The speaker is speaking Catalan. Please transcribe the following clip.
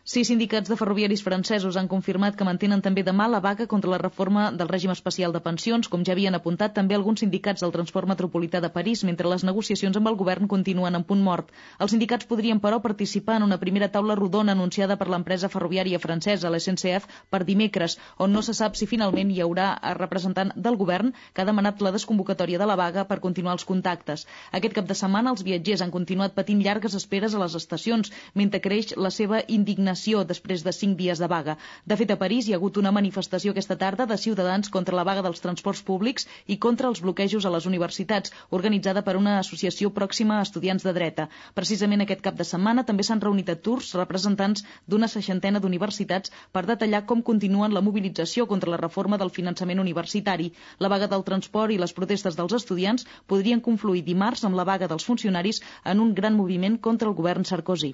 6 sindicats de ferroviaris francesos han confirmat que mantenen també demà la vaga contra la reforma del règim especial de pensions, com ja havien apuntat també alguns sindicats del transport metropolità de París, mentre les negociacions amb el govern continuen en punt mort. Els sindicats podrien, però, participar en una primera taula rodona anunciada per l'empresa ferroviària francesa, la SNCF, per dimecres, on no se sap si finalment hi haurà representant del govern que ha demanat la desconvocatòria de la vaga per continuar els contactes. Aquest cap de setmana els viatgers han continuat patint llargues esperes a les estacions, mentre creix la seva indignació després de 5 dies de vaga. De fet, a París hi ha hagut una manifestació aquesta tarda de ciutadans contra la vaga dels transports públics i contra els bloquejos a les universitats, organitzada per una associació pròxima a estudiants de dreta. Precisament aquest cap de setmana també s'han reunit a Tours representants d'una 60ena d'universitats per detallar com continuen la mobilització contra la reforma del finançament universitari. La vaga del transport i les protestes dels estudiants podrien confluir dimarts amb la vaga dels funcionaris en un gran moviment contra el govern Sarkozy.